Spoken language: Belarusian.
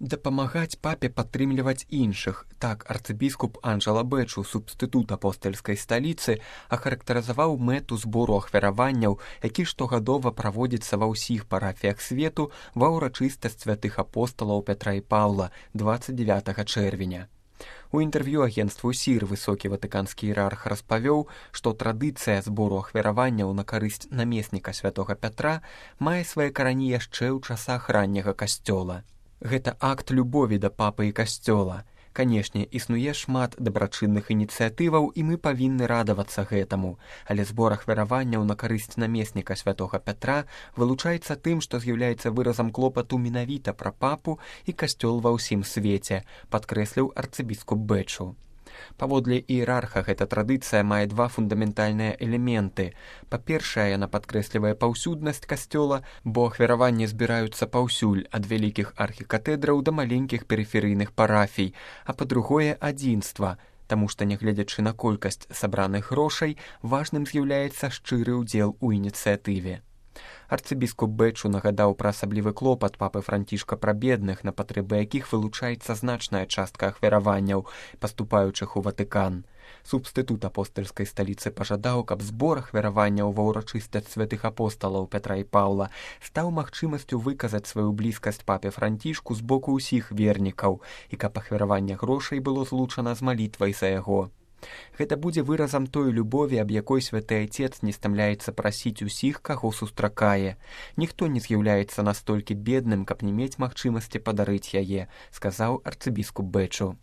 Дапамагаць папе падтрымліваць іншых. Так арцыбіскуп Анджела Бэчу, субстытут апостальскай сталіцы, ахарактарызаваў мэту збору ахвяраванняў, які штогадова праводзіцца ва ўсіх парафіях свету ва ўрачыстасць святых апосталаў Пятра і Паўла 29 чэрвеня. У інтэрв'ю агенцтву СІР высокі ватыканскі іерарх распавёў, што традыцыя збору ахвяраванняў на карысць намесніка святога Пятра мае свае карані яшчэ ў часах ранняга касцёла. Гэта акт любові да папы і касцёла. Канешне, існуе шмат дабрачынных ініцыятываў, і мы павінны радавацца гэтаму, але збор ахвяраванняў на карысць намесніка святога Пятра вылучаецца тым, што з'яўляецца выразам клопату менавіта пра папу і касцёл ва ўсім свеце, падкрэсліў арцыбіскуп Бэчу. Паводле іерарха, гэта традыцыя мае два фундаментальныя элементы. Па-першае, яна падкрэслівае паўсюднасць касцёла, бо ахвяраванні збіраюцца паўсюль, ад вялікіх архікатэдраў да маленькіх перыферыйных парафій, а па-другое, адзінства, таму што, нягледзячы на колькасць сабраных грошай, важным з'яўляецца шчыры ўдзел у ініцыятыве. Арцыбіскуп Бэчу нагадаў пра асаблівы клопат папы Францішка пра бедных, на патрэбы якіх вылучаецца значная частка ахвяраванняў, паступаючых у Ватыкан. Субстытут апостальскай сталіцы пажадаў, каб збор ахвяраванняў ва ўрачыстасць святых апосталаў Пятра і Паўла стаў магчымасцю выказаць сваю блізкасць папе Францішку з боку ўсіх вернікаў, і каб ахвяраванне грошай было злучана з малітвай за яго. Гэта будзе выразам той любові, аб якой святы Айцец не стамляецца прасіць усіх, каго сустракае. Ніхто не з'яўляецца настолькі бедным, каб не мець магчымасці падарыць яе, сказаў арцыбіскуп Бэчу.